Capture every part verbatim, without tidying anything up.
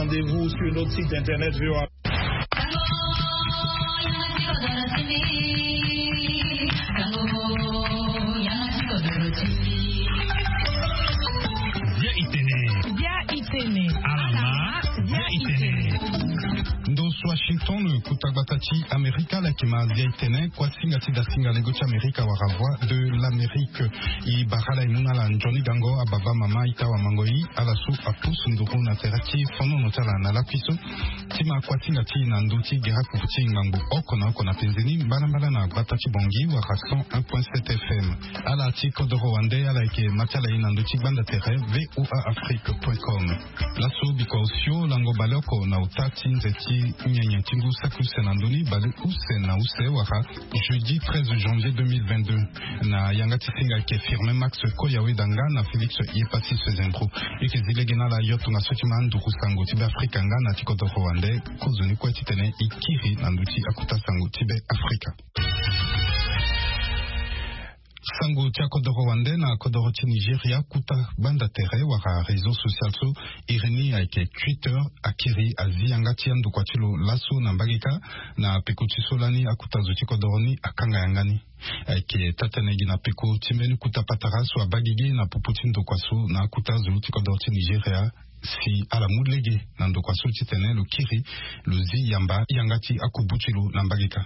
Rendez-vous sur notre site internet V O A. Bia itene. Bia itene. Alama. Bia itene. Ndo so Washington, kota gbata ti Amerika, ala yeke ma Bia itene, kuasinga ti dasinga lego ti Amerika wala Voix de l'Amérique. E bara ala e mu na ala nzoni gango, ababa, mama, ita, awamango, e, ala so apusu nduru na tere ti fonono ti ala na lakui so. Ti ma kuasinga ti e na ndö ti gere akufu ti ngangu oko na oko na penze ni, mbalambala na gbata ti Bangui wala cent un point sept F M. Ala ti kodoro wande, ala yeke ma ti ala e na ndö ti gbanda tere V O A Afrique point com. Laso bikua osio lango baleoko na ota ti nze ti nyenye ti ngu saki use na ndö ni, baleuse na use wala jeudi treize janvier deux mille vingt-deux. Na yanga ti singa ayeke Firmin Max Koyawedanga na Félix Yepassis Zendro. E yeke zi lege na ala yo tongaso ti ma nduru sango ti Beafrika nga na ti kodoro wande. Kozoni kue titene e kiri na ndö ti akota sango ti Beafrika. Sango ti akodoro wande na kodoro ti Nigeria, kota gbanda tere wala réseau social so iri ni ayeke Twitter, akiri azi yanga ti andokua ti lo laso na mbage kâ. Na peko ti so lani akota zo ti kodoro ni akanga yanga ni. Ayeke taa-tënë gi na peko ti mbeni kota patara so abaa gigi na popo ti ndokua so na akota zo ti kodoro ti Nigeria, si ala mu lege na ndokua so titene lo kiri lo zi yamba yanga ti akubu ti lo na mbage kâ.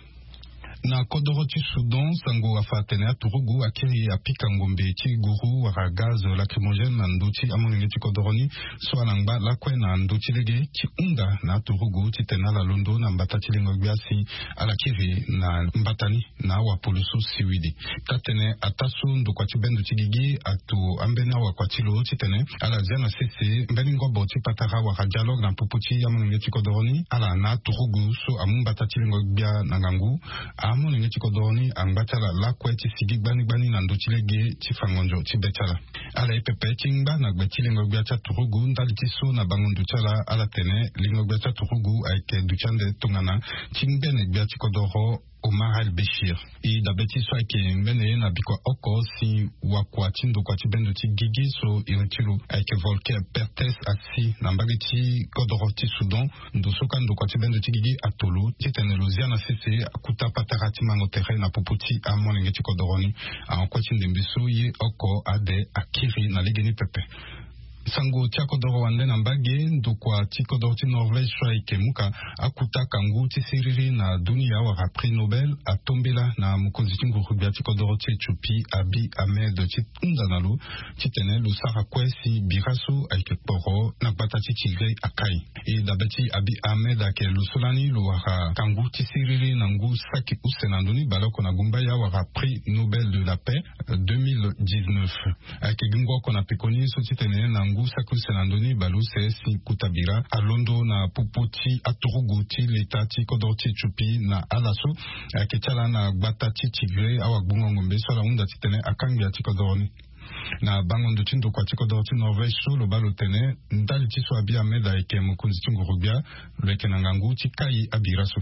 Na kodoro ti Soudan, sango afa atene aturugu akiri apika ngombe ti guru wala gaz lacrymogène na ndö ti amolenge ti kodoro ni, so ala ngba lakue na ndö ti lege ti hunda na aturugu titene ala londo na mbata ti lengo-gbia si ala kiri na mbata ni na awapolo so siwili. Taa-tënë ataa so ndokua ti bendo ti gigi ato ambeni awakua ti lo titene ala zia na sese mbeni ngobo ti patara wala dialogue na popo ti amolenge ti kodoro ni, ala na aturugu so amu mbata ti lengo-gbia na ngangu. Amolenge ti kodoro ni angba ti ala lakue ti sigi gbani gbani na ndö ti lege ti fango nzo ti be ti ala. Ala ye pepe ti ngba na gbe ti lengo-gbia ti aturugu ndali ti so na bango ndo ti ala, ala tene lengo-gbia ti aturugu ayeke duti ande tongana ti ngbene gbia ti kodoro Omar al-Bashir. E dabe ti so ayeke ngbene ye na bikua oko si wakua ti ndokua ti bendo ti gigi so iri ti lo ayeke Volker Perthes asi na mbage ti kodoro ti Soudan. Ndo so kâ ndokua ti bendo ti gigi ato lo titene lo zia na sese akota patara ti mango tere na popo ti amolenge ti kodoro ni. Ahon kue ti ndembe so ye oko ade akiri na legeni pepe. Sango ti akodoro wande na mbage, ndokua ti kodoro ti Norvège so ayeke muka akota kangu ti siriri na dunia wala prix Nobel atombela na mokonzi ti nguru-gbia ti kodoro ti Éthiopie Abiy Ahmed ti hunda na lo titene lo sara kue si bira so ayeke kporo na gbata ti Tigré akai. E dabe ti Abiy Ahmed ayeke lo so lani lo wara kangu ti siriri na ngu saki use na ndö ni baleoko na gumbaya wala prix Nobel de la paix deux mille dix-neuf. Ayeke gi ngu oko na pekoni so titene na ngu saki use na ndö ni baleuse si kota bira alondo na popo ti aturugu ti leta ti kodro ti Éthiopie na ala so ayeke ti ala na gbata ti Tigré awagbongo ngombe so ala hunda titene akangbi ya ti kodro ni. Na bango ndo ti ndokua ti kodro ti Norvège so lo baa lo tene ndali ti so Abiy Ahmed ayeke mokonzi ti nguru-gbia, lo yeke na ngangu ti kai abira so.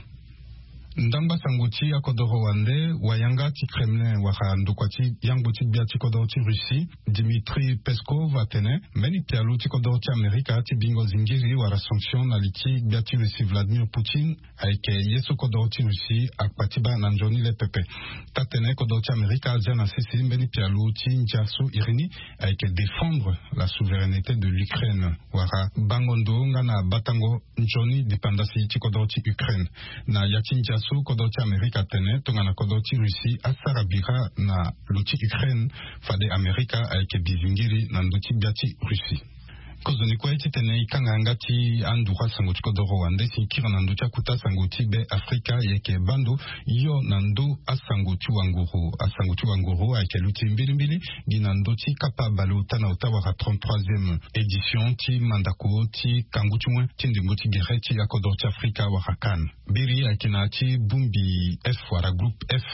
Ndangba sango ti akodoro wande, wayanga ti Kremlin wala ndokua ti yangbo ti gbia ti kodoro ti Russie, Dmitri Peskov, atene mbeni pialo ti kodoro ti Amerika ti bingo zingiri wala sanction na li ti gbia ti Russie Vladimir Poutine ayeke ye so kodoro ti Russie akpa ti baa na nzoni le pepe. Taa-tënë kodoro ti Amerika azia na sese mbeni pialo ti ndia so iri ni ayeke défendre la souveraineté de l'Ukraine wala bango ndo nga na batango nzoni dépendance ti kodro ti Ukraine. Na ya ti ndia so kodro ti Amerika atene tongana kodro ti Russie asara bira na lo ti Ukraine, fade Amerika ayeke bizingiri na ndö ti gbia ti Russie. Kozoni kue titene e kanga yanga ti anduru asango ti kodoro wande si e kiri na ndö ti akota sango ti Be Afrika, e yeke baa ndo yo na ndö asango ti wanguru. Asango ti wanguru ayeke luti mbilimbili gi na ndö ti kapa baleota na ota wala trente-troisième édition ti mandako ti kangu ti wen ti ndembo ti gere ti akodoro ti Afrika wala CAN. Biri ayeke na ya ti bongbi F wala groupe F.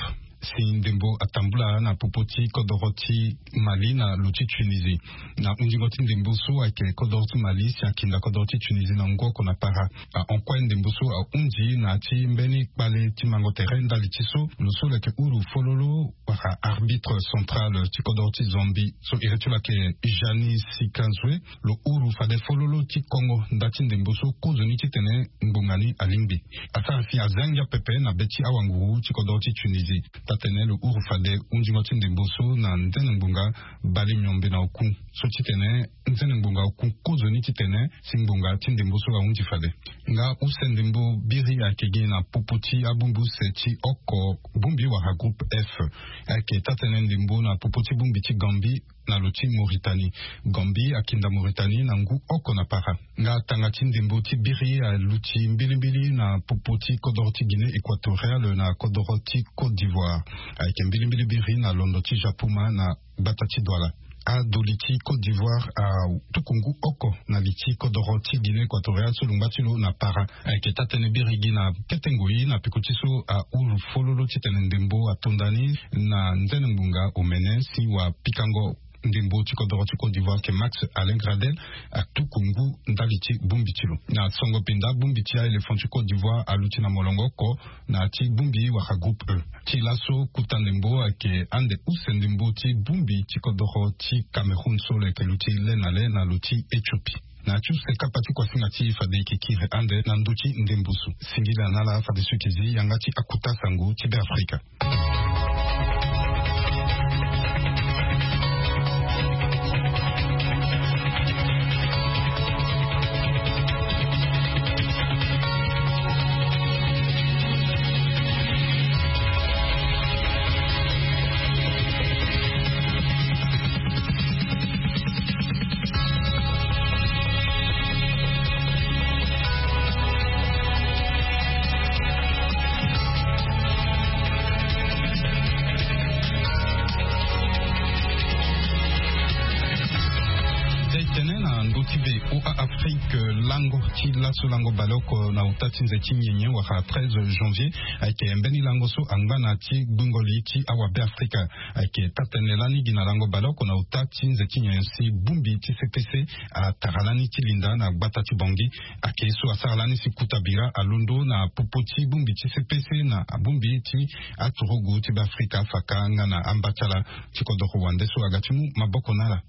si ndembo atambula na popo ti kodoro ti Mali na lo ti Tunisie. Na hundingo ti ndembo so ayeke kodoro ti Mali si akinda kodoro ti Tunisie na ngu oko na para. Ahon kue ndembo so ahundi na ya ti mbeni kpale ti mango tere ndali ti so lo so lo yeke uru fololo wala arbitre central ti kodoro ti Zambie so iri ti lo ayeke Jani Sikazwe, lo uru fade fololo ti kongo nda ti ndembo so kozoni titene ngbonga ni alingbi. Asara si aza ngia pepe na be ti awanguru ti kodoro ti Tunisie. Taa-tene lo uru fade hundingo ti ndembo so na nzene ngbonga bale miombe na oku so titene nzene ngbonga oku kozoni titene si ngbonga ti ndembo so ahundi fade. Nga use ndembo biri ayeke gi na popo ti abongbi use ti oko bongbi wala groupe F. Ayeke taa-tene ndembo na popo ti bongbi ti Gambie na lo ti Mauritanie. Gambie akinda Mauritanie na ngu oko na para. Nga tanga ti ndembo ti biri aluti mbilimbili na popo ti kodoro ti Guinée Équatoriale na kodoro ti Côte d'Ivoire. Ayeke mbilimbili biri na londo ti Japoma na gbata ti Douala. Ado li ti Côte d'Ivoire atuku ngu oko na li ti kodoro ti Guinée Équatoriale so lo ngba ti lo na para. Ayeke taa-tene biri gi na kete ngoi na peko ti so ahuru fololo titene ndembo atonda ni na nzene ngbonga omene si wapikango ndembo ti kodoro ti Côte d'Ivoire ke Max Alain Gradel atuku ngu ndali ti bongbi ti lo. Na songo pinda bongbi ti a-éléphant ti Côte d'Ivoire aluti na molongo oko na ya ti bongbi wala groupe E. Ti laso kota ndembo ayeke ande use ndembo ti bongbi ti kodoro ti Cameroun so lo yeke luti le na le na lo ti Éthiopie. Na ya ti use kapa ti kuasinga ti fade e yeke kiri ande na ndö ti ndembo so. Singila na ala fadeso e yeke zi yanga ti akota sango ti Beafrika. Tene na ndö ti VOA Afrique, lango ti laso lango baleoko na uta ti nze ti nyenye wala treize janvier ayeke mbeni lango so angba na ti gbingo li ti awabe Afrika. Ayeke taa-tene lani gi na lango baleoko na uta ti nze ti nyenye si bongbi ti C P C atara lani ti linda na gbata ti Bangui. Ayeke so asara lani si kota bira alondo na popo ti bongbi ti C P C na bongbi ti aturugu ti Beafrika afaka nga na amba ti ala ti kodoro wande so aga ti mu maboko na ala.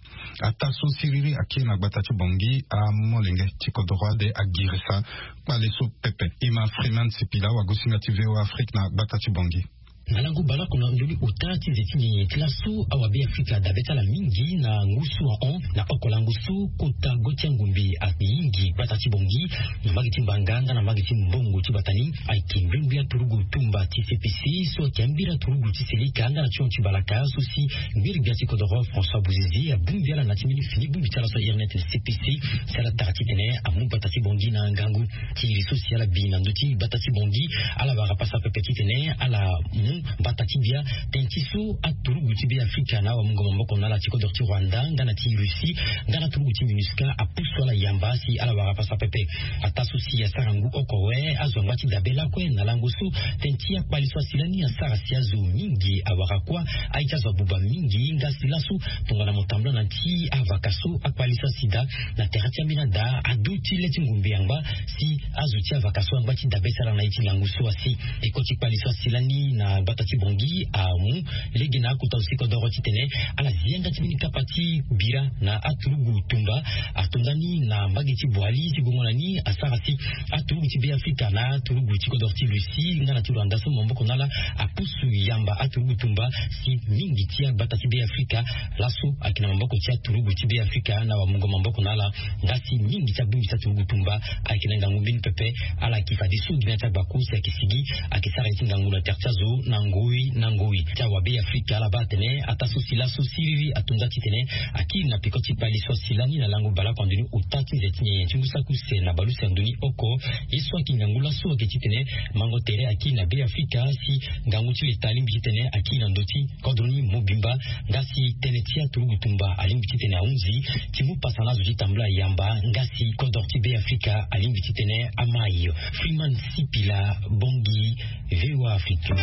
Ataa so siriri akiri na gbata ti Bangui, amolenge ti kodoro ade agirisa kpale so pepe. E ma Freeman Sipila, wagosinga ti VOA Afrique na gbata ti Bangui. Na lango baleoko na ndoni ota ti nze ti nyenye ti laso awabe Afrika adabe ti ala mingi na ngu so ahon na oko lango so kota go ti angombe ayingi gbata ti Bangui na mbage ti Mbanga nga na mbage ti Mbongo ti bata ni. Ayeke mbirimbi aturugu tumba ti C P C so ayeke ambiri aturugu ti selika nga na ti hon ti balaka so si ngiri gbia ti kodoro François Bouzizi abongbi ala na ti mbeni fini bongbi ti ala so ahiri ni atene C P C si ala tara titene amu gbata ti Bangui na ngangu. Ti iri so si ala bi na ndö ti gbata ti Bangui, ala wara pasa pepe titene ala mu mbata ti bia tënë ti so aturugu ti Beafrika na awamungo maboko na ala ti kodoro ti Rwanda nga na ti Russie nga na aturugu ti MINUSCA apusu ala yamba si ala wara pasa pepe. Ataa so si asara ngu oko awe azo angba ti dabe lakue na lango so tënë ti akpali so asi lani asara si azo mingi awara kuâ. Aye ti azo abuba mingi nga si laso tongana mo tambula na ti avaka so akpali so asi daa na tere ti ambeni ada ado ti le ti ngombe angba si azo ti avaka so angba ti dabe ti ala na ye ti lango so asi. Eko ti kpali so asi lani na gbata ti Bangui amu lege na akota zo ti kodoro titene ala zi yanga ti mbeni kapa ti bira na aturugu tumba atonda ni na mbage ti Boali ti gongo na ni asara si aturugu ti Beafrika na aturugu ti kodoro ti Russie nga na ti Rwanda so maboko na ala apusu yamba aturugu tumba si mingi ti agbata ti Beafrika laso ayeke na maboko ti aturugu ti Beafrika na wamungo maboko na ala. Nga si mingi ti abongbi ti aturugu tumba ayeke na ngangu mbeni pepe. Ala yeke fadeso gi na ya ti agbako si ayeke sigi ayeke sara ye ti ngangu na tere ti azo na ngoi na ngoi. Ti awabe Afrika ala baa atene ataa so si laso siriri atonda titene akiri na peko ti kpali so asi lani na lango baleoko na ndoni ota ti nze ti nyenye ti ngu saki use na bale use na ndoni oko. Ye so ayeke ngangu laso ayeke titene mango tere akiri na Beafrika si ngangu ti leta alingbi titene akiri na ndö ti kodro ni mobimba. Nga si tënë ti aturugu tumba alingbi titene ahunzi ti mu pasa na azo ti tambula yamba nga si kodro ti Beafrika alingbi titene amai. Freeman Sipila, Bangui, VOA Afrique.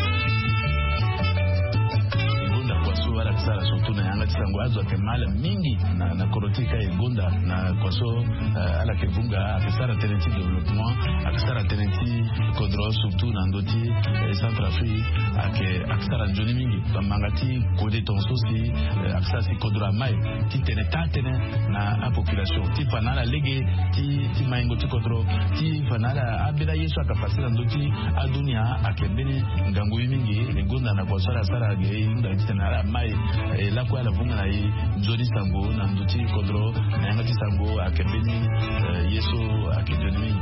Ala ke sara surtout na yanga ti sango azo ayeke mal mingi na kodro ti e ka e gonda na kua so. Ala ke vunga ayeke sara tënë ti développement, ayeke sara tënë ti kodro surtout na ndö ti Centrafrique. Ayeke sara nzoni mingi bamanga ti kode tonga so si ayeke sara si kodro amai ti tene taa tënë na apopulation ti fa na ala lege ti maingo ti kodro ti fa na ala abela ye so ayeke fasi na ndö ti adunia. Ayeke mbeni ngangu ye mingi e gonda na kua so ala sara ge e hunda titene ala mai e lakue ala vunga na e nzoni sango na ndö ti kodro na yanga ti sango ayeke mbeni ye so ayeke nzoni mingi.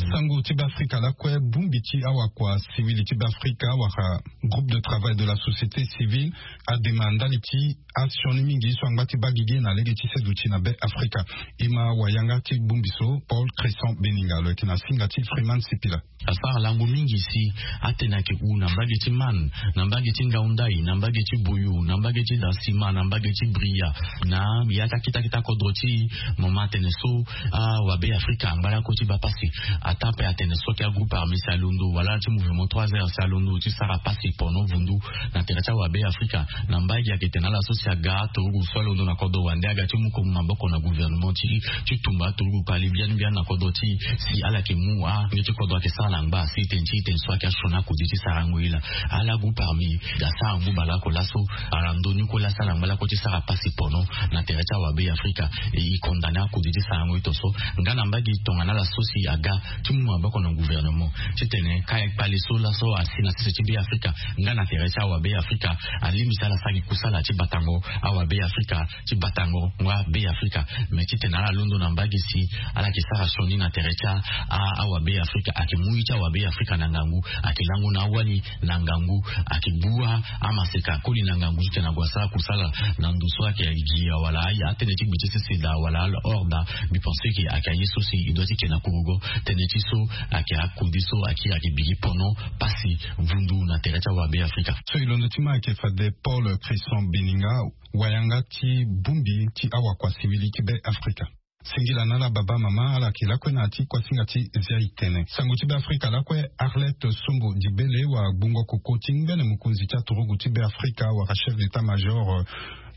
Sango ti Beafrika lakue bongbi ti awakua sivili ti Beafrika wala groupe de travail de la société civile adema ndali ti asioni mingi so angba ti baa gigi na lege ti seduti na Beafrika. E ma wayanga ti bongbi so Paul Cresson Beninga lo yeke na singa ti Freeman Sipila. Asara lango mingi si atene ayeke hu na mbage ti Man, na mbage ti Ngaundai, na mbage ti Boyo, na mbage ti Dansima, na mbage ti Bria, na ya ti akita kita kodro ti mama atene so awabe Afrika angba lako ti baa pasi. Ataa ape atene so ayeke agroupe armé si alondo wala ala ti mouvement trois heures si alondo ti sara pasi pono vundu na tere ti awabe Afrika. Na mbage ayeke tene ala so si aga aturugu so alondo na kodro wande aga ti mu komu maboko na gouvernement ti ti tumba aturugu kpali mbiani na kodro ti si ala yeke mu ange ti kodro ayeke sara na ngba si tene ti tene so ayeke asioni akodi ti sarango ye laa. Ala groupe armé asara ngu baleoko laso ala ndoni kue laa si ala ngba lako ti sara pasi pono na tere ti awabe Afrika. E condamné akodi ti sarango ye tonso nga na mbage tongana ala so si aga ti mu maboko na gouvernement titene ka e kpale so laso asi na sese ti Beafrika nga na tere ti awabe Afrika. Alingbi si ala sara gi kusala ti batango awabe Afrika ti batango nga Beafrika. Me titene ala londo na mbage si ala yeke sara sioni na tere ti awabe Afrika ayeke mu ye ti awabe Afrika na ngangu. Ayeke lango na awali na ngangu. Ayeke bua amaseka koli na ngangu titene ague asara kusala na ndo so ayeke gi awala aya atënë ti gbe ti sese daa wala ala hors daa. Mbi pense ke ayeke aye so si e doit ti ke na kurugo tënë ti so ayeke akodi so ayeke ayeke bigi pono pasi vundu na tere ti awabe Afrika. So e londo ti ma ayeke fade Paul Cresson Beninga wayanga ti bongbi ti awakua sivili ti Beafrika. Singila na ala baba mama ala yeke lakue na ya ti kuasinga ti zia itene sango ti Beafrika lakue Arlette Sombo Dibele wala gbungo koko ti ngbene mokonzi ti aturugu ti Beafrika wala chef d'état-major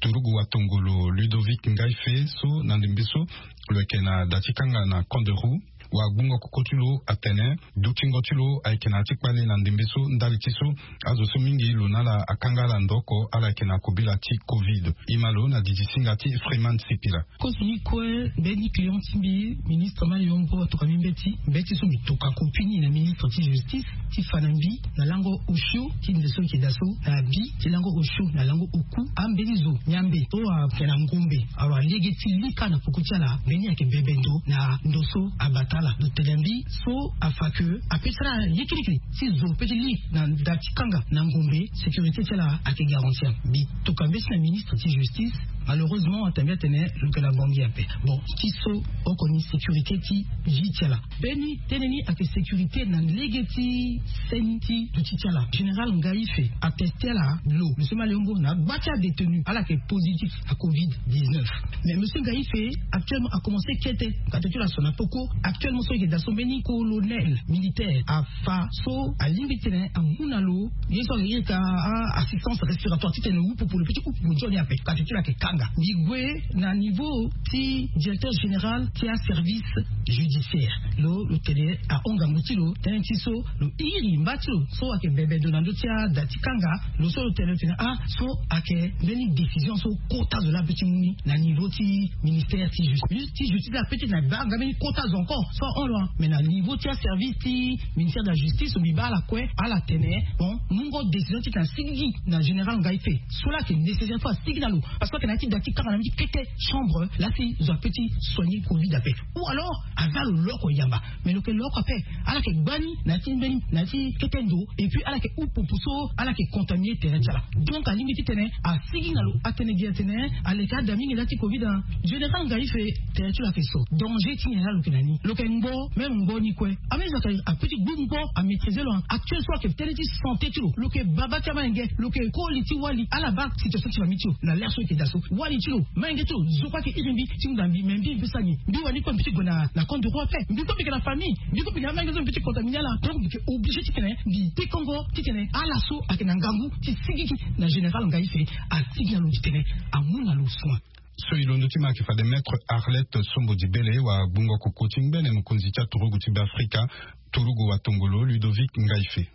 turugu watongolo Ludovic Ngaife so na ndembe so lo yeke na da ti kanga na Kanderou. Wala gbungo koko ti lo atene dutingo ti lo ayeke na ya ti kpale na ndembe so ndali ti so azo so mingi lo na ala akanga ala ndo oko ala yeke na kobela ti covid. E ma lo na didi singa ti Freeman Sipila. Kozo ni kue mbeni client ti mbi ministre Maliongo atoka mbi mbeti mbeti so mbi toka kopini na ministre ti justice ti fa na mbi na lango osio ti nze so mbi yeke daa so na abi ti lango osio na lango oku ambeni zo nyambe so ayeke na ngombe. Alors alege ti li kâ na poko ti ala mbeni ayeke bebe ndo na ndo so abata ala lo tene mbi so afa ke ape ti ala ye kirikiri ti zo pe ti li na da ti kanga na ngombe. Sécurité ti ala ayeke garantir mbi toka mbeti na ministre ti justice. Malheureusement atambia atene lo yeke na bangi ape. Bon ti so oko ni sécurité ti vie ti ala. Mbeni tënë ni ayeke sécurité na lege ti seni ti duti ti ala général Ngaife ateste ala lo monsieur Maliongo na gba ti adétenu ala yeke positif à covid dix-neuf. Mais monsieur Ngaife actuellement akomense kete kate ti lo aso na poko. Actuellement so e yeke daa so mbeni colonel militaire afa so alingbi titene amu na lo ye so ayeke iri ka assistance respiratoire titene lo hu popo lo pe ti hu popo nzoni ape kate ti lo ayeke kanga. Mbi gue na niveau ti directeur général ti aservice judiciaire. Lo lo tene ahon ngangu ti lo tënë ti so lo iri mba ti lo so ayeke bebe ndo na ndö ti ada ti kanga. Lo so lo tene lo tene ah so ayeke mbeni décision so kota zo laa ape ti mu ni na niveau ti ministère ti justice ti justice laa ape ti na baa nga mbeni kota zo encore so ahon lo. Mais na niveau ti aservice ti ministère de la justice mbi baa ala kue ala tene bon mu ngo décision titene asigi na général Ngaife so laa ayeke nécessaire fo asigi na lo. Parce que ayeke na ti da ti kanga na mbi ti kete chambre la si zo ape ti soigner covid ape. Ou alors aza lo loko yamba. Mais lo ke loko ape, ala ke gbani na ti mbeni na ti kete ndo. Et puis ala ke upu puso ala ke contaminer tere ti ala. Donc alingbi titene asigi na lo atene gi atene aleke ada mingi la ti covid. Général ngai fe tere ti lo ake so danger ti nyen la lo ke na ni lo ke ngbo. Même ngbo ni kue ame zo ake ape ti gbu ngbo amaîtriser lo. Actuel so ake tënë ti santé ti lo lo ke baba ti amalenge lo ke koli ti wali ala baa situation ti famille ti lo. Na lere so eke daa so wali ti lo malenge ti lo zo kue ake iri mbi ti hunda mbi mais mbi mbi sara nyen? Mbi wani kue mbi ti gue na na camp de roi ape mbi kue mbi yeke na famille mbi kue mbi yeke na amalenge so mbi ti contaminer ala. Donc mbi yeke obligé titene mbi tekongo titene ala so ayeke na ngangu ti sigigi na général ngai fe asigi na lo titene amu na lo soin. So e londo ti ma ayeke fade maître Arlette Sombo Dibele wa gbungo koko ti ngbene mokonzi ti aturugu ti Beafrika, turugu wa tongolo Ludovic Ngaife.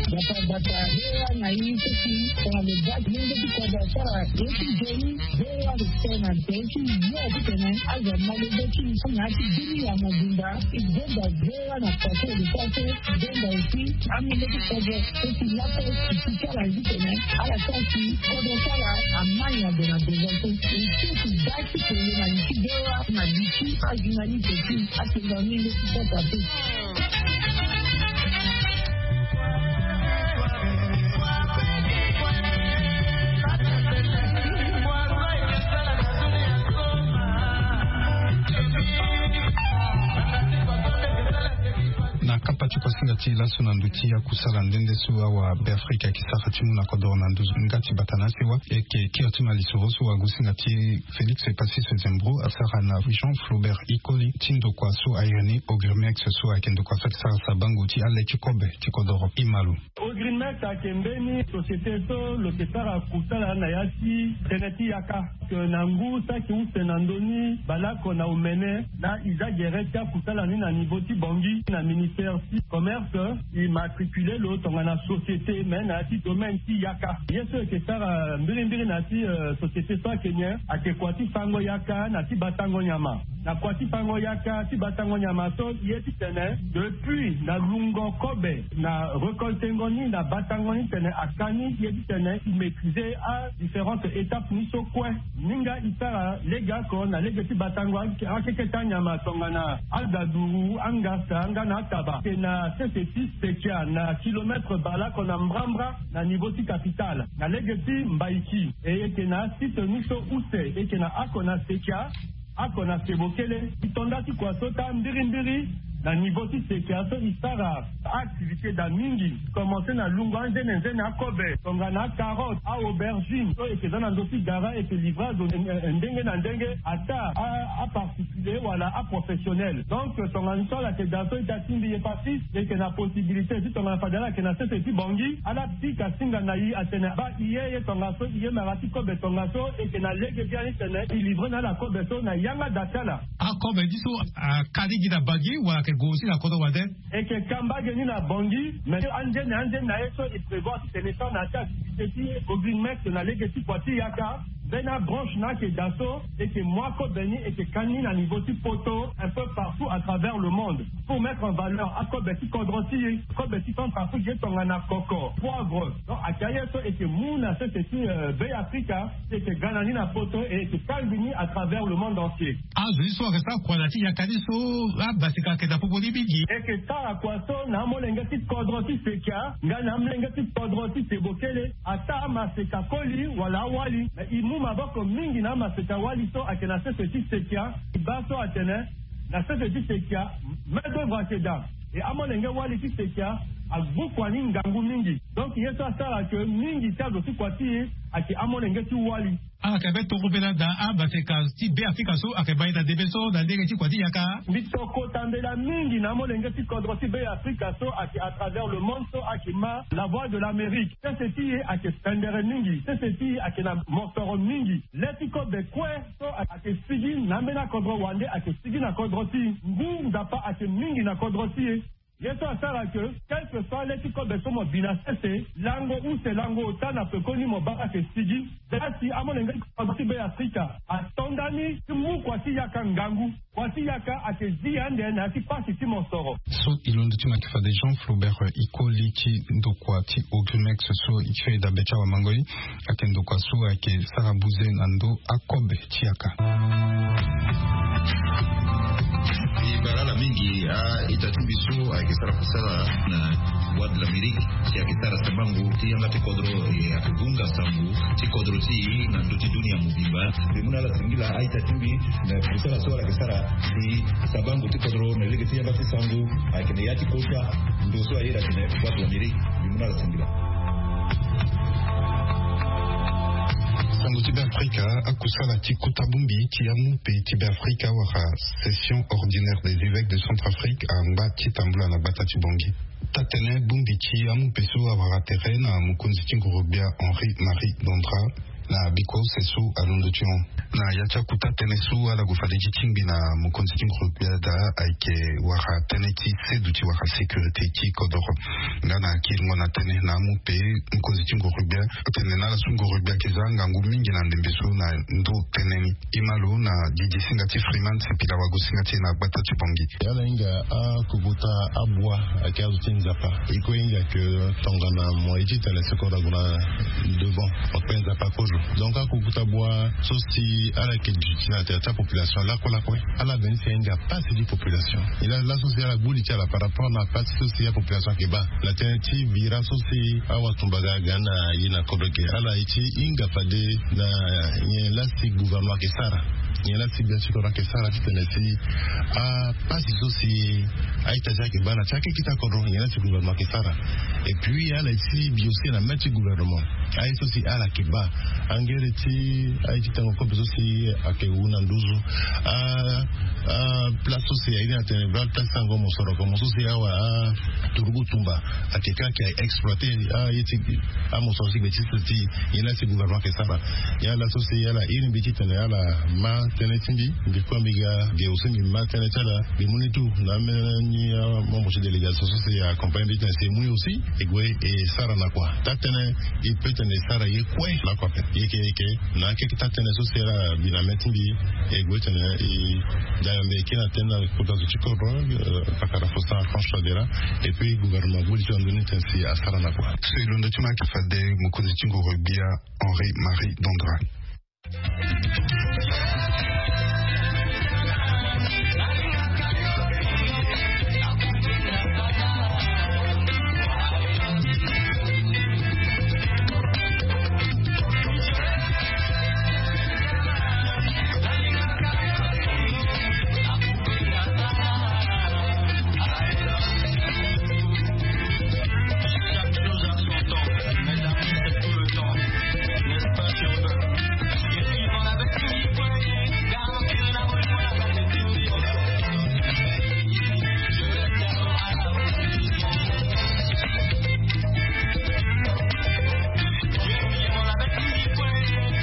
Bata bata, hera na yi kuki kwa le bak mungo ti kwa da sara. Yeti jeni, hera le tena, yeti yo ti tena. Aza malo beti ni sanya ti dini ya mobimba. Igbenda hera na kati le kati. Igbenda oti. Ami le ti kwa da. Oti lape. Iti sara yi tena. Ala kati. Kwa da sara. Amani ya de na de. Iti ti bak. Ti kele na liki bewa na liki azi na liki ti atinda mingi ti kota ti. Na kapa ti kuasinga ti laso na ndo ti akusala nde nde so awa Beafrika ayeke sara ti mu na kodoro na nduzu nga ti bata na asewa. Eke kiri ti ma lisoro so wa gusinga ti Félix Pacice Zembro asara na Jean Flaubert Ikoli ti ndokua so airi ni Ogrimex so ayeke ndokua so ayeke sara sabango ti ale ti kobe ti kodoro. Imalo. Ogrimex ayeke mbeni société so lo yeke sara kusala na ya ti tënë ti yaka. Ke na ngu saki use na ndoni baleoko na omene na iza gere ti akusala ni na niveau ti Bangui na ministère ti commerce. Immatricule lo tongana société mais na ya ti domaine ti yaka. Ye so eke sara mbirimbiri na ya ti société so ayeke nyen? Ayeke kua ti fango yaka na ti batango nyama. Na kua ti fango yaka ti batango nyama so ye ti tene depuis na lungo kobe na récoltengo ni na batango ni tene aka ni ye ti tene imaîtriser a différentes étapes ni so kue. Ni nga isara lege oko na lege ti batango akeke ti anyama tongana agaduru, angasa nga na ataba. Eke na sese ti sekia na kilomètre baleoko na mbrambra na niveau ti capitale na lege ti mbaiki. E eke na asite ni so use eke na oko na sekia oko na sebokele. Ti tonda ti kua so ta mbirimbiri na niveau ti sekia so isara activité daa mingi. Commencer na lungo anzene nzene akobe tongana acarotte, aaubergine so eke za na ndo ti gara eke livrer azo ndenge na ndenge ata aparticulier wala aprofessionnel. Donc tongana so ala yeke daa so ita ti mbi ye pasis eke na possibilité ti tongana fade ala yeke na sese ti Bangui ala pika singa na i atene baa i ye ye tongaso i ye mara ti kobe tongaso eke na lege biani tene i livrer na ala kobe so na yanga da ti ala. Akobe ti so akari gi na Bangui wala ayeke gue aussi na kodro wande? Eke ka mbage ni na Bangui mais anzene anzene na ye so e prévoir ti tene sara na ya ti activité ti Ogrimex na lege ti kua ti yaka. Mbeni abranche na ayeke daa so eke mu akobe ni eke ka ni na niveau ti poto un peu partout à travers le monde. Pour mettre en valeur akobe ti kodro ti e, kobe ti Centrafrique ye tongana koko, poivre. Donc ayeke aye so eke mu na sese ti Bêafrika ti eke ga na ni na poto e eke kangbi ni à travers le monde entier. Azo ti so ayeke sara kua na ya ti yaka ti so abasika ayeke daa popo ni mingi. Eke sara kua so na amolenge ti kodro ti sekia nga na amolenge ti kodro ti sebokele. Ata amaseka koli wala awali na i mu maboko mingi na amaseka wali so ayeke na sese ti sekia. I baa so atene na sese ti sekia main d'oeuvre ayeke daa. E amolenge wali ti sekia agbu kua ni ngangu mingi. Donc ye so asara ke mingi ti azo ti kua ti e ayeke amolenge ti wali. Ala yeke be tongobela daa abaseka ti Bêafrika so ayeke bai na ndembe so na lege ti kua ti yaka. Mbi tokota mbela mingi na amolenge ti kodro ti Bêafrika so ayeke à travers le monde so ayeke ma la voix de l'Amérique. Sese ti e ayeke pendere mingi. Sese ti e ayeke na mosoro mingi. Le ti kobe kue so ayeke sigi na ambeni akodro wande ayeke sigi na kodro ti e. Ngu nzapa ayeke mingi na kodro ti e. Ye so asara ke, quelque fois le ti kobe so mo bi na sese, lango use lango ota na pekoni mo baa ake sigi. Dati amolenge ti kodro ti be afrika ato ndani ti mu kua ti yaka ngangu, kua ti yaka ake zi ande na ya ti pasi ti mosoro. So e londo ti make fade jean flaubert ikoli ti ndokua ti ogrimex so e ti fai dabe ti awamangoi. Ake ndokua so ake sara buze na ndo akobe ti yaka. E bara ala mingi a-ita ti mbi so ayeke sara kusala na bois de l'amérique, si ayeke sara sabangu ti yanga ti kodro e ayeke gunga sangu ti kodro ti e na ndö ti dunia mobimba. Mbi mu na ala singila a-ita ti mbi na kusala so ala yeke sara si sabangu ti kodro na lege ti yanga ti sangu ayeke na ya ti kota ndo so aye na tene bois de l'amérique. Mbi mu na ala singila. Sango ti be afrika. Akusala ti kota bongbi ti amu pe ti be afrika wala session ordinaire des évêques de centrafrique angba ti tambula na gbata ti bongi. Tatene bongbi ti amu pe so awara tere na mokonzi ti ngorogbia henri marie dondra na biko se so alondo ti hon. Na ya ti akuta tënë so ala gue fade ti tingbi na mokonzi ti ngorogbia daa ayeke wara tënë ti sedu ti wara sécurité ti kodoro. Nga na kiringo na tënë na amu pe mokonzi ti ngorogbia atene na ala so ngorogbia ayeke za ngangu mingi na ndembe so na ndo tënë ni. Ima lo na didi singa ti freeman sepila wago singa ti e na gbata ti bongi. Ala hinga akokota abua ayeke azo ti nzapa. E kue hinga ke tongana mo ye ti tene seko na gue na devant. Mo kpe nzapa kozo. Donc akokota abua so si ala yeke duti na tere ti apopulation lakue lakue. Ala veni si ahinga pasi ti population. Nyen laa laso si ala gbu li ti ala par rapport na pasi so si apopulation ayeke baa na tënë ti vira so si awatumba ga aga na ye na kodro eke ala ye ti hinga fade na nyen laa si gouvernement ayeke sara. Nyen laa si gbia ti kodro ayeke sara titene si apasi so si a-ita ti ayeke baa na ti akekita kodro nyen laa si gouvernement ayeke sara. Et puis ala ye ti bi aussi na mê ti gouvernement aye so si ala yeke baa angere ti aye ti tengo kobe so si ayeke wu na nduzu. Place so si aye ni atene vra place ti ango mosoro komo so si awa aturugu tumba ayeke ka ayeke exploite aye ti amosoro ti gbe ti sese ti. Nyen laa si gouvernement ayeke sara. Nyen ala so si ala iri mbi titene ala ma tënë ti mbi. Mbi kue mbi ga ge aussi mbi ma tënë ti ala. Mbi mu ni tu na ameni amembre ti délégation so si accompagne mbi titene si e mu ni aussi e gue e sara na kua. Taa tënë e peut tene e sara ye kue lakue ape. Yeke yeke na akeke taa tënë so si ala bi na mê ti mbi. E gue tene e dayambe e kiri na tënë na kota zo ti kodro. Pakara fostan archange fadera. Et puis gouvernement gbu li ti ando ni tene si asara na kua. So e londo ti ma ayeke fade mokonzi ti ngoro gbia henri marie dondra.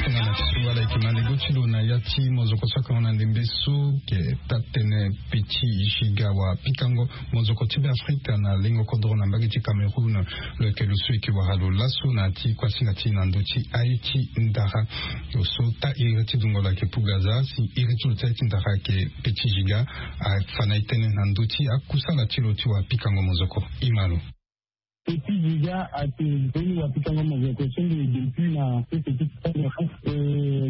Tongana ti so ala yeke na lego ti lo na ya ti mozoko so akango na ndembe so ke taa tënë peti giga wa pikango mozoko ti be afrika na lengo kodro na mbage ti cameroun. Lo yeke lo so yeke wara lo laso na ya ti kuasinga ti na ndö ti aye ti ndara. Lo so taa iri ti dungo lo ayeke pugaza si iri ti lo ti aye ti ndara ayeke peti giga. Afa na e tënë na ndö ti akusala ti lo ti wa pikango mozoko. Ima lo. Petit Giga ate mbeni wapikango mozoko so nde depuis na sese ti Cameroun.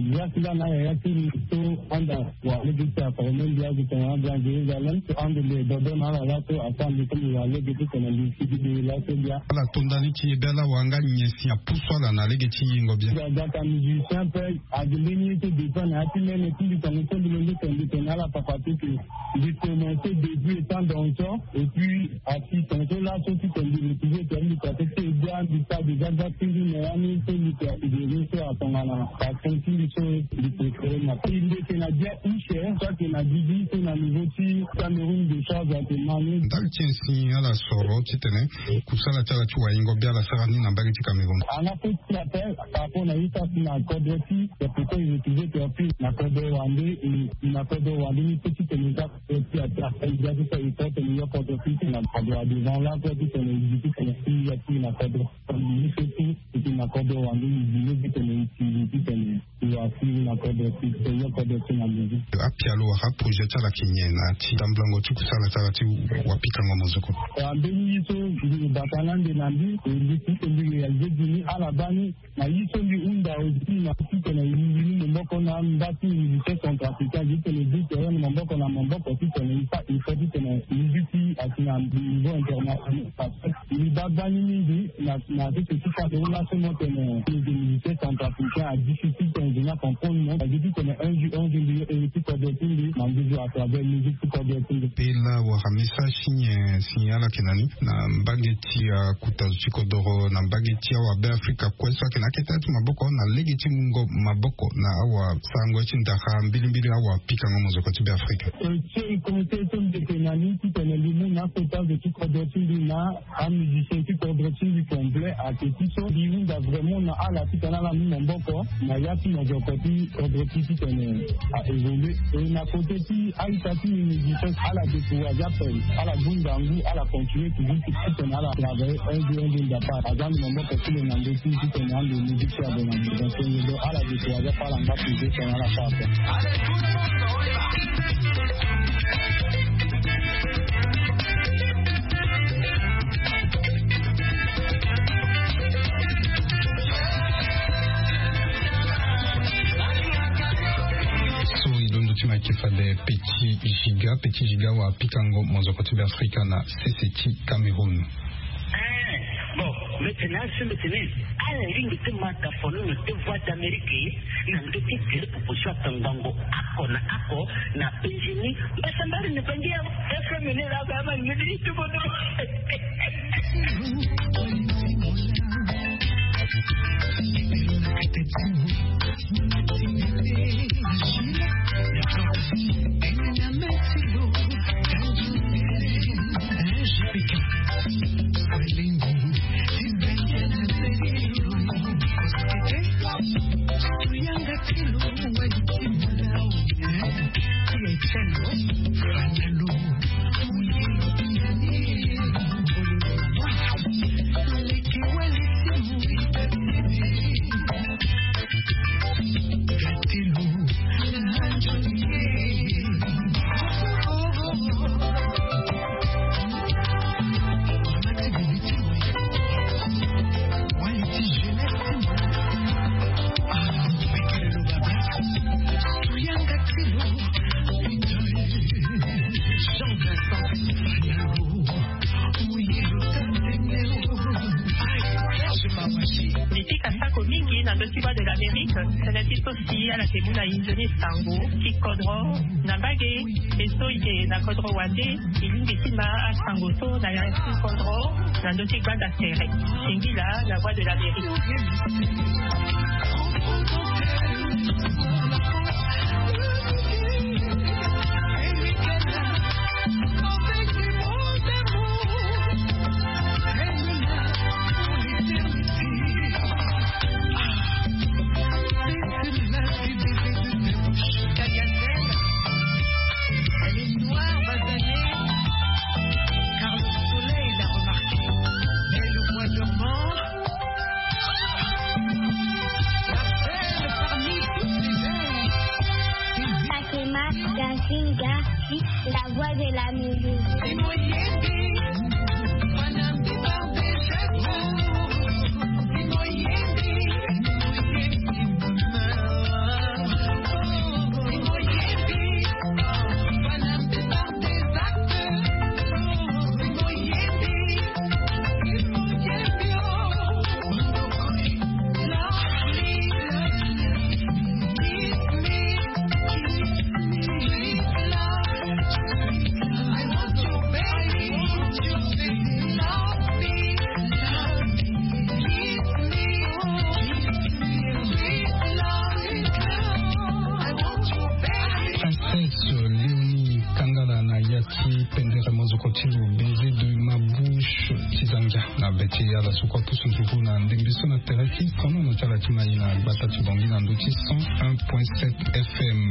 Grâce nga na yaya ti mbi so anda wa lege ti aproblème mbi azo tongana anda Jérusalem so ande mbi dodo na ala laso afa mbi so mbi wa lege ti tene mbi sigi mbi laso mbi a. Ala to ndani ti e be ala wanga nyen si apusu ala na lege ti yengo bien. Gata musicien pe ade mbeni ye so dépend na ya ti mene ti mbi tongo so mbi londo tene mbi tene ala papa ti ke mbi commencé début étant danseur et puis Asi tongaso laso ti tene mbi retrouve tene mbi kua ti ti e gbia mbi sara déjà gbia ti mbi me ya ni so mbi kua ti dere so atongana passion ti mbi so mbi préféré na pe mbi yeke na gbia use so ayeke na gigi so na niveau ti Cameroun de charge ayeke ma ni. Ndali ti nyen si ala soro titene kusala ti ala ti waingo bia ala sara ni na mbage ti Cameroun? Ana pe ti appel par rapport na ye so asi na kodro ti Pourquoi il refusait que appuie na kodro wande? Na kodro wande ni pe titene eza ti ata eza ti sa effort tene yo kodro ti tene ado adevant la pe titene izi titene si ya ti na kodro. Izi so ti titene na kodro wande izi ni titene izi titene iwa si na kodro ti tene yo kodro ti na lezi. Apialo wala projet ti ala yeke nyen na ti tambulango ti kusala ti ala ti wapikango mozoko? Ambeni ye so mbi bata na ande na mbi e mbi ti tene mbi réalisé gi ni ala baa ni. Na ye so mbi hunda aussi na titene e mbi ni maboko na mba ti musicien centrafricain titene e bi terrain na maboko na maboko titene e fa effort titene musique ti asi na niveau international. Parce que e mbi baa baa ni mingi na na tete ti fa de laso mo tene e mbi musicien centrafricain a difficile tene e mbi na comprendre mo. Parce que titene un jour un jour mbi yo e mbi ti kodro ti mbi na mbi joue à travers musique ti kodro ti mbi. Pe la wara message ti nyen si ala yeke na ni na mbage ti akota zo ti kodoro na mbage ti awabe afrika kue so ayeke na akete ti maboko na lege ti mungo maboko na awasarango ti ndara mbilimbili awapikango mozoko ti be afrika. E ti e komite so mbi yeke na ni titene mbi mu na akota zo ti kodro ti mbi na amusicien ti kodro ti mbi complet ayeke ti so mbi hunda vraiment na ala titene ala mu maboko na ya ti mozoko ti kodro ti titene a évolué. E na kote ti a-ita ti mbi musicien ala découragé ape. Ala bunda ngu ala continué toujours ti titene ala travaillé un jour un jour ndapa aza ndo maboko ti lo na ndö ti titene ande musique ti azo na ndö donc ala découragé ape ala nga toujours titene ala fa ape. So e londo ti ma yeke fade petit giga petit giga wapikango mozoko ti be afrika na sese ti cameroun. Bon, mbi tene aso mbi tene ala lingbi ti ma tafono na te voix d'amérique na ndö ti tele proposition atangbango ako na ako na penjini mbasambari na bangi ya fm ni la ba ma ni ti bodo. Ni ti kasako mingi na ndö ti voix de l'amérique. Tënë ti so si ala yeke mu na inzoni sango ti kodro na mbage. E so e yeke na kodro wande e lingbi ti ma asango so na ya ti kodro na ndö ti gbanda sere. Singila la voix de l'amérique. Fatima Gazinga, la voix de la musique. Princesse Léonie Kangala na ya ti pendere mozoko ti lo baiser de ma bouche ti za ngia na be ti ala so kue apusu nzuru na ndembe so na tere ti sonono ti ala ti mai na gbata ti bongi na ndö ti cent un point sept FM.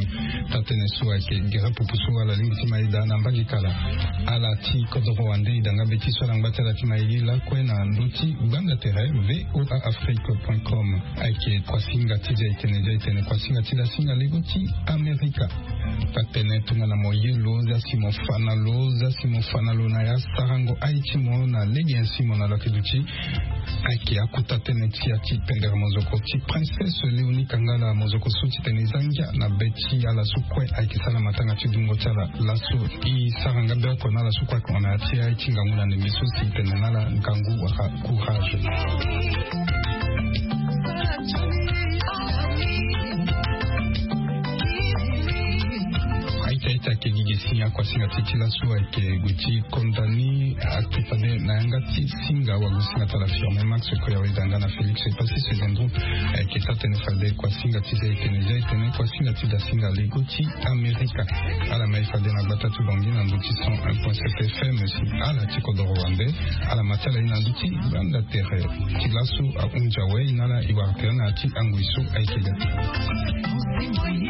Taa-tënë so ayeke gere pupu so ala lingbi ti mai daa na mbage kala. Ala ti kodoro wande e da nga be ti so ala ngba ti ala ti mai li lakue na ndö ti gbanda tere voa afrique point com. Ayeke kuasinga ti zia etene zia etene kuasinga ti dasinga lego ti amerika. Taa-tënë tongana mo ye lo zia si mo fa na lo zia si mo fa na lo na ya sarango aye ti mo na lege nyen si mo na lo ayeke duti. Ayeke akota tënë ti ya ti pendere mozoko ti princesse léonie kangala mozoko so ti tene e za ngia na be ti ala so kue ayeke sara na matanga ti dungo ti ala laso. E sara nga be oko na ala so kue ayeke hon na ya ti aye ti ngangu na ndembe so si e tene na ala ngangu wala courage. Aita ita ke gigi si akuasinga ti ti laso ayeke gue ti konda ni. Ayeke fade na yanga ti singa wago singa ti ala firme max koya weda nga na félix epasi se zendro. Ayeke taa-tënë fade kuasinga ti zia etene zia etene kuasinga ti dasinga lego ti amerika. Ala mai fade na gbata ti bongi na ndö ti cent un point sept FM si ala ti kodoro wande. Ala ma ti ala ye na ndö ti gbanda tere. Ti laso ahunzi awe e na ala e wara tere na ya ti angoi so ayeke ga ti